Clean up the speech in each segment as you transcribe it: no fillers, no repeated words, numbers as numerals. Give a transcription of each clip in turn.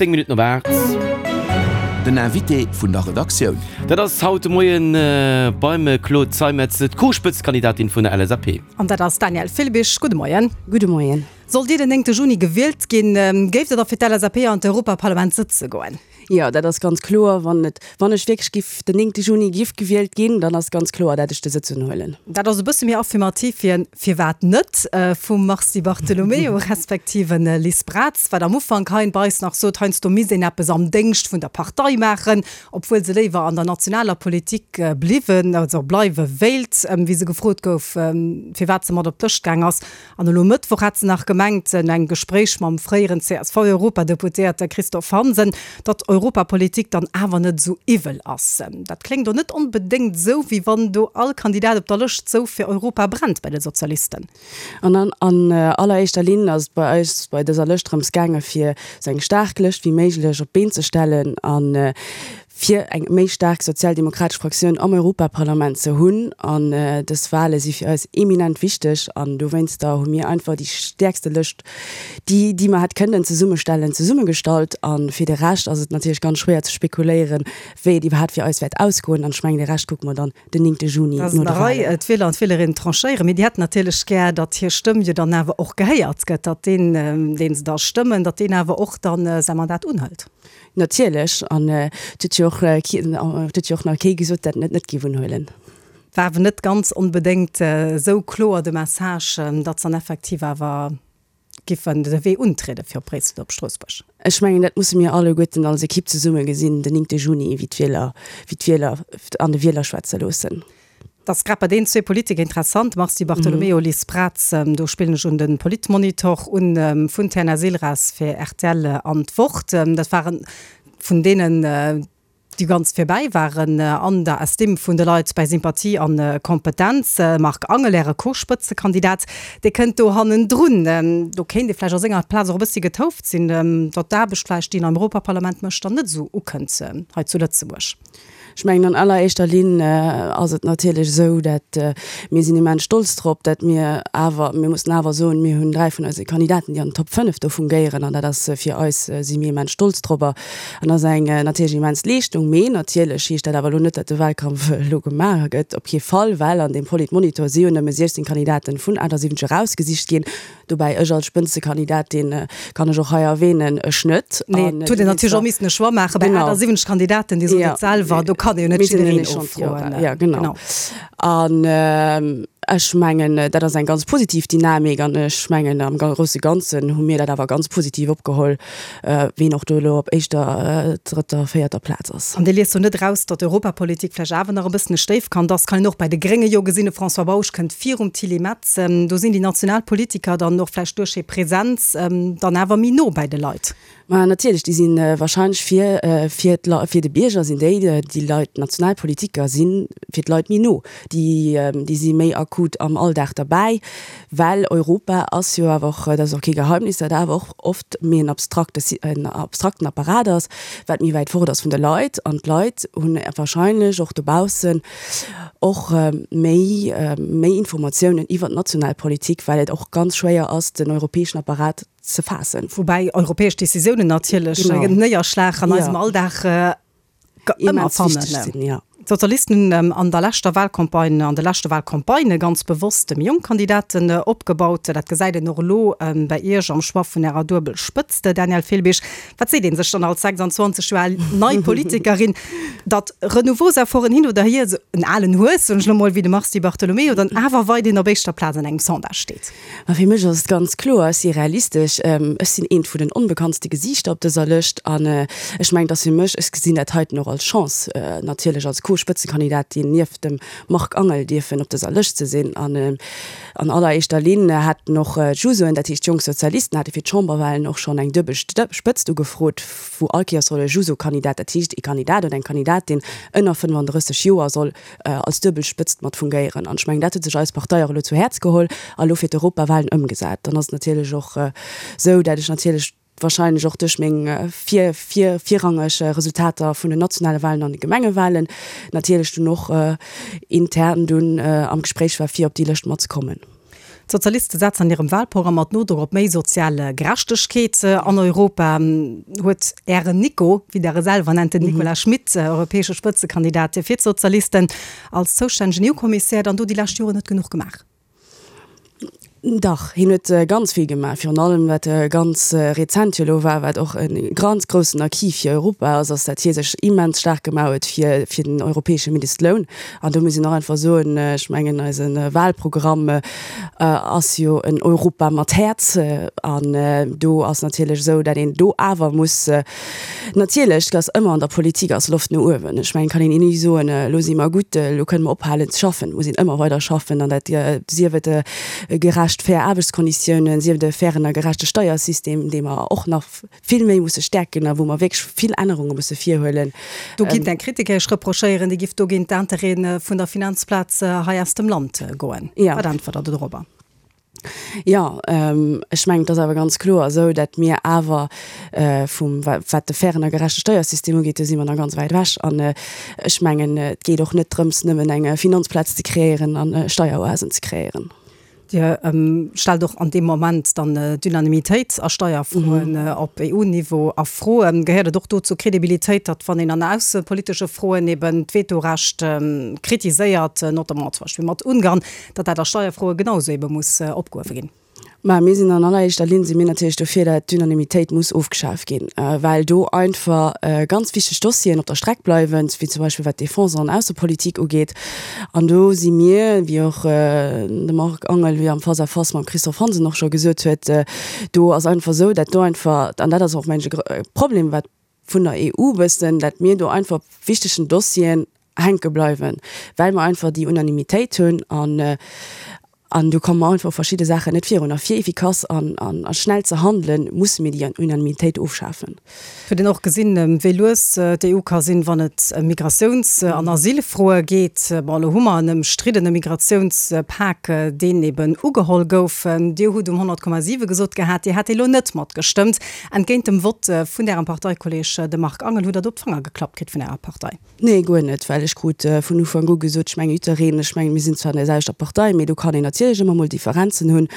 10 Minutten op 8. Den Invité vun der Redaktioun. Dat ass haut de Moien beim Claude Zeimetz, d'Co-Spëtzekandidatin vun der LSAP. An dat ass d'Danièle Filbig. Gudde Moien. Gudde Moien. Sollt Dir den 9 Juni gewielt ginn, géift Der da fir d'LSAP an d'Europaparlament sëtze goen? Jo, dat ass ganz kloer. Wann et, wann ech wierklech giff den 9 Juni giff gewielt ginn, dann ass ganz kloer, dat ech de Sëtz unhuelen. Dat ass e bësse méi affirmativ wéi en Firwat net vum Mars Di Bartolomeo respektiv en Liz Braz, wat am Ufank hei bei eis nach sot, heiansdo misst een eppes am Déngscht vun der Partei maachen, obwuel se léiwer an der nationaler Politik bliwwen, also bleiwe wéilt, wéi se gefrot gouf, firwat se mat op d'Lëscht gaang ass. An elo Mëttwoch hat se nach gemengt, no engem Gespréich mam fréieren CSV-Europadeputéierte Christophe Hansen, datt Europapolitik dann awer net esou iwwel ass. Dat kléngt do net onbedéngt esou, wéi wann do all Kandidat op der Lëscht esou fir Europa brennt bei de Sozialisten. An an alleréischter Linn ass et bei eis bei dëser Lëscht drëms gaange fir esou eng staark Lëscht wéi méiglech op d'Been ze stellen a fir eng méi staark sozialdemokratesch Fraktioun am Europaparlament ze hunn. An dës Wahle si fir eis eminent wichteg an dowéinster hu mir einfach déi stäerkste Lëscht, déi déi mer hätt kënnen zesummestellen, zesummegestallt. A fir de Rescht ass et natierlech ganz schwéier ze spekuléieren, wéi et iwwerhaapt fir eis wäert ausgoen. An ech mengen, de Rescht kucke mer dann den 9 Juni no de Wahlen. D'Wieler an d'Wielerinnen tranchéieren, mee déi hätten natierlech gär, datt hir Stëmm jo dann awer och gehéiert gëtt, datt deen, deen se da stëmmen, datt deen awer och dann säi Mandat unhëlt. Natierlech, an et huet jo och et huet jo och nach kee gesot, dat en et net géif unhuelen. War awer net ganz onbedéngt esou kloer de Message, datt se dann effektiv awer giffen de Wee untriede fir op Bréissel oder op Stroossbuerg. Ech mengen, dat musse mir alleguerten als Ekipp zesumme gesinn den 9 Juni, wéi d'Wieler, wéi d'Wieler an de Wieler schwätze loossen. Et ass grad bei deenen zwee Politiker interessant, Mars Di Bartolomeo, Liz Braz, do spillen ech un de Politmonitor un vun Terna-Silras fir rtl an d'Wort. Dat waren vun deenen, déi ganz virbäi waren an der Estime vun de Leit bäi Sympathie a Kompetenz. Marc Angel, Äre Co-Spëtzekandidat, dee kënnt do hannendrun. Do kéint ee vläicht a senger Plaz och e bëssi getouft sinn, datt d'Aarbecht vläicht, déi en am Europaparlament mécht, dann net esou ukënnt hei zu Lëtzebuerg. Ech mengen, an alleréischter Linn ass et natierlech esou, dat mir sinn immens stolz drop, dat mir awer, mir mussen awer soen, mir hunn 3 vun eise Kandidaten, déi an den Top 5 do fungéieren an dat ass fir eis, si mir immens stolz drop an ass eng natierlech immens Leeschtung. Mee natierlech heescht dat awer elo net, dat de Wahlkampf elo gemaach gëtt, op kee Fall, well an deem Politmonitor si jo nëmme 16 Kandidaten vun 78 erausgesicht ginn. Dobäi, ech als Spëtzekandidatin, kann ech och hei erwähnen, ech net. Nee, et huet een natierlech och missen e Choix maache bei 78 Kandidaten, Dir sot et selwer, do kann ee jo net jiddereen ofroen. Jo, genau. An ech mengen, dat ass eng ganz positiv Dynamik an ech mengen, am grousse Ganzen hu mir dat awer ganz positiv opgeholl. Ween och do elo op éischter, drëtter, véierter Plaz ass. An Dir liest do net eraus, datt Europapolitik vläicht awer nach e bëssen e Stéifkand ass? Kann een och bäi de Grénge jo gesinn, de François Bausch kënnt virum Tilly Metz. Do sinn déi national Politiker dann och vläicht duerch hir Präsenz dann awer méi no bäi de Leit. Ma natierlech, déi si warscheinlech fir, fir d'Leit, fir de Bierger sinn déi, déi Leit, d'national Politiker si fir d'Leit méi no. Déi, déi si méi akut am Alldag derbäi. Well Europa ass jo awer och, dat ass och kee Geheimnis, dat awer och oft méi en abstrakte, en abstrakten Apparat ass, wat méi wäit fort ass vun de Leit. An d'Leit hunn wahrscheinlech och dobaussen och méi, méi Informatiounen iwwert d'national Politik, well et och ganz schwéier ass, den europäeschen Apparat ze faassen. Woubäi europäesch Décisiounen natierlech en Néierschlag an eisem Alldag ëmmer fannen. D'Sozialisten hunn an der leschter Wahlcampagne, an de leschte Wahlcampagnë ganz bewosst méi jonk Kandidaten opgebaut. Dat gesäit een och elo bäi Iech am Choix vun Ärer duebel Spëtzt, Danièle Filbig. Wat seet ee sech dann als 26 Joer al nei Politikerin, datt Renouveausefforten hin oder hier, esou en alen Hues, soen ech elo mol, wéi de Mars Di Bartolomeo, dann awer weiderhin op éischter Plaz an engem Sondage steet? Ma fir mech ass et ganz kloer, ech si realistesch, ech sinn eent vun den onbekanntste Gesiichter op dëser Lëscht an ech mengen, et ass fir mech, ech gesinn dat heiten och als Chance, natierlech als Co-Spëtzekandidatin nieft dem Marc Angel dierfen op dëser Lëscht ze sinn. An an alleréischter Linn haten och d'Jusoen, dat heescht d'Jonk Sozialisten, hate fir d'Chamberwahlen och schonn eng duebel Spëtzt ugefrot, wou all Kéiers soll e Juso-Kandidat, dat heescht ee Kandidat oder eng Kandidatin ënner 35 Joer soll als duebel Spëtzt mat fungéieren. An ech mengen, dat huet sech eis Partei och elo zu Häerz geholl a elo fir d'Europawahlen ëmgesat. Dann ass et natierlech och esou, dat ech natierlech wahrscheinlech och duerch meng vir, vir, virrangeg Resultater vun den nationale Wahlen an de Gemengewahlen natierlech dunn och intern dunn am Gespréich war, fir op déi Lëscht mat ze kommen. D'Sozialiste setzen an hirem Wahlprogramm mat Nodrock op méi sozial Gerechtegkeet an Europa. Huet Ären Nico, wéi Der e selwer nennt, den Nicolas Schmit, europäesche Spëtzekandidat fir d'Sozialisten, als zoustännegen EU-Kommissär dann do déi lescht Joren net genuch gemaach? Dach, hien huet ganz vill gemaach, virun allem wat ganz rezent jo elo war, wat och e ganz groussen Acquis fir Europa ass, ass dat hie sech immens staark gemaach huet fir fir den europäesche Mindestloun. An do muss een och einfach soen, ech mengen eise Wahlprogramm ass jo en Europa mat Häerz an do ass natierlech esou, dat een do awer muss Natierlech, et ass ëmmer an der Politik ass Loft no uewen. Ech mengen, et kann een ni soen, elo si mer gutt, elo kënne mer ophalen ze schaffen. Et muss een ëmmer weider schaffen an dat sief et gerecht, fair Aarbechtskonditiounen, sief et e fairen a gerechte Steiersystem, dee mer och nach vill méi musse stäerken a wou mer wierklech vill Ännerunge musse virhuelen. Do kinnt eng Kritiker Iech reprochéieren, Dir gifft do géint d'Intérêtë vun der Finanzplaz hei aus dem Land goen. Wat äntwert Der dorobber? Jo, ech mengen, et ass awer ganz kloer esou, datt mir awer vum, wat de fairen a gerechte Steiersystem ugeet, do si mer nach ganz wäit ewech. An ech mengen, et geet och net drëms, nëmmen eng Finanzplaz ze kreéieren a Steieroasen ze kreéieren. Dir stellt och an deem Moment dann d'Unanimitéit a Steierfroen op EU-Niveau a Fro. Gehéiert et och do zur Kredibilitéit, datt wann een an aussepolitesche Froen eben d'Vetorecht kritiséiert, notamment zum Beispill mat Ungarn, datt dat a Steierfroe genau esou ebe muss opgehuewe ginn. Mä mir sinn an alleréischter Linn si mir natierlech dofir, dat d'Unanimitéit muss ofgeschaf ginn, well do einfach ganz wichteg Dossieren op der Streck bleiwen, wéi zum Beispill wat d'Defense an Aussepolitik ugeet. An do si mir, wéi och de Marc Angel wéi am Face-à-face mam Christophe Hansen och scho gesot huet, do ass einfach esou, dat do einfach, an dat ass och mengen ech e Problem wat vun der EU wëssen, dat mir do einfach op wichtegen Dossieren hänke bleiwen, well mer einfach déi Unanimitéit hunn an an do komme mer einfach op verschidde Saachen net virun. A fir efficace an a schnell ze handelen, musse mir déi Unanimitéit ofschafen. Et huet een och gesinn, wéi lues d'EU ka sinn, wann et ëm Migratiouns an Asylfroe geet. Bon, elo hu mer en ëmstriddene Migratiounspak, deen eben ugeholl gouf. Dir hutt um 100,7 gesot gehat, Dir hätt dee lo net matgestëmmt. Entgéint dem Vott vun Ärem Parteikolleg, dem Marc Angel, hutt Der do op d'Fanger geklappt kritt vun Ärer Partei? Nee, guer net, well ech krut vun Ufank u gesot, ech mengen jiddereen, ech mengen mir sinn zwar an der selwechter Partei, mee do kann een natierlech ëmmer mol Differenzen hunn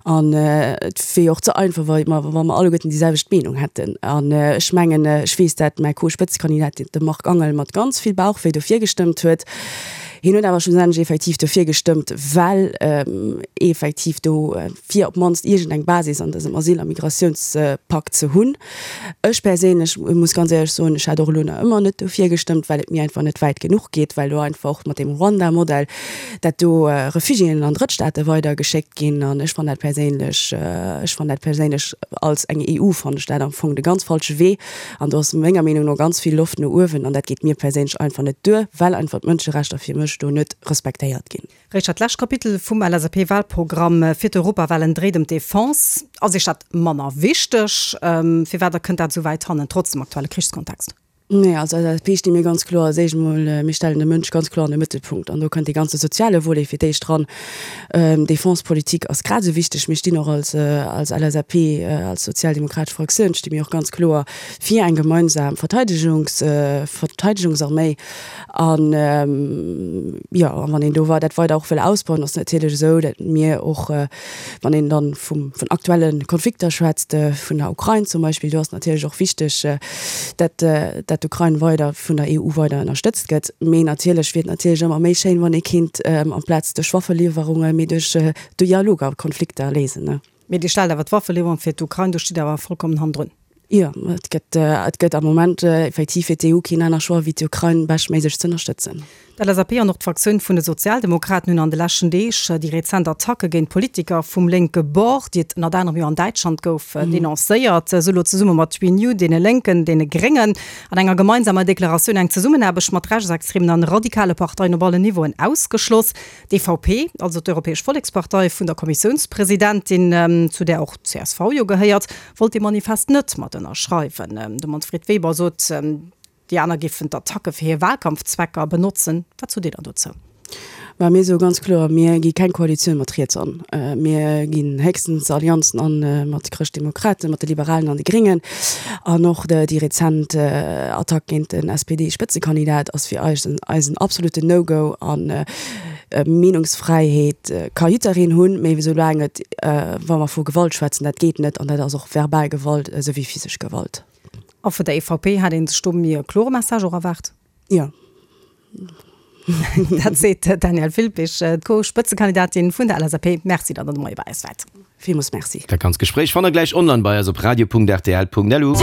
an et wier jo och ze einfach, wa mer, wa mer alleguerten déi selwecht Meenung hätten. An ech mengen, ech weess dat mäi Co-Spëtzekandidat, de Marc Angel, mat ganz vill Bauchwéi dofir gestëmmt huet. Hien huet awer schlussendlech effektiv dofir gestëmmt, well effektiv do fir op d'mannst iergendeng Basis an dësem Asyl a Migratiounspak ze hunn. Ech perséinlech muss ganz éierlech soen, ech hätt och elo nach ëmmer net dofir gestëmmt, well et mir einfach net wäit genuch geet, well do einfach och mat deem Ruanda-Modell, dat do Refugiéen an Drëttstaate weidergeschéckt ginn. An ech fannen dat perséinlech, ech fannen dat perséinlech als eng EU fannen ech dat am Fong de ganz falsche Wee. An do ass menger Meenung no ganz vill Loft no uewen an dat geet mir perséinlech einfach net duer, well einfach d'Mënscherechter fir mech do net respektéiert ginn. Richard, d'lescht Kapitel vum LSAP-Wahlprogramm fir d'Europawahlen dréit ëm d'Defense. Ass Iech dat manner wichteg? Firwat da kënnt dat esou wäit hannen, trotz dem aktuelle Krichskontext? Nee, als LSAP sti mir ganz kloer als éischt emol, mir stellen de Mënsch ganz kloer an de Mëttelpunkt an do kënnt dee ganze soziale Volet fir d'éischt dran. D'Defensepolitik ass grad esou wichteg. Mir stinn och als als LSAP, als sozialdemokratesch Fraktioun sti mir och ganz kloer fir eng gemeinsam Verteidegungs Verteidegungsarméi. An, jo, a wann een do dat weider och wëll ausbauen, ass et natierlech esou, datt mir och, wann een dann vum, vun aktuelle Konflikter schwätzt, vun der Ukrain zum Beispill, do ass et natierlech och wichteg, datt, datt d'Ukrain weider vun der EU weider ënnerstëtzt gëtt. Mee natierlech wier et natierlech ëmmer méi schéin, wann ee kéint amplaz duerch Waffeliwwerunge mee duerch Dialog a Konflikter léisen. Mee Dir stellt awer d'Waffeliwwerung fir d'Ukrain, do stitt Der awer vollkommen hannendrun. Jo, et gëtt, et gëtt am Moment effektiv fir d'EU keen aner Choix, wéi d'Ukrain beschtméiglech z'ënnerstëtzen. D'LSAP an och d'Fraktioun vun de Sozialdemokraten hunn an de leschten Deeg déi rezent Attacke géint Politiker vum lénke Bord, déi et ënnert anerem jo an Däitschland gouf, denoncéiert. Esou elo zesumme mat Renew, deene Lénken, deene Gréngen an enger gemeinsamer Deklaratioun eng Zesummenaarbecht mat rechtsextremen an radikale Parteien op allen Niveauen ausgeschloss. D'EVP, also d'Europäesch Vollekspartei vun der Kommissiounspresidentin, zu där och d'CSV jo gehéiert, wollt dee Manifest net mat ënnerschreiwen. De Manfred Weber sot, déi aner géifen d'Attacke fir hir Wahlkampfzwecker benotzen. Wat sot Dir dann dozou? Mä mir soe ganz kloer, mir gi keng Koalitioun mat riets an. Mir ginn héchstens Allianzen an mat Chrëschtdemokraten, mat de Liberalen an de Gréngen. An och déi rezent Attack géint den SPD-Spëtzekandidat ass fir eis en absoluten No-Go. Meenungsfräiheet ka jiddereen hunn, mee soulaang et, wa mer vu Gewalt schwätzen, dat geet net an dat ass och verbal Gewalt esou wéi physesch Gewalt. A vun der EVP hat ee sech do méi e klore Message och erwaart. Jo. Dat seet d'Danièle Filpich, d'Co-Spëtzekandidatin vun der LSAP. Merci, datt Der de Moie bei eis waart. Villmools Merci. Dat ganzt Gespréich fannt der gläich online bei eis op radio.rtl.lu.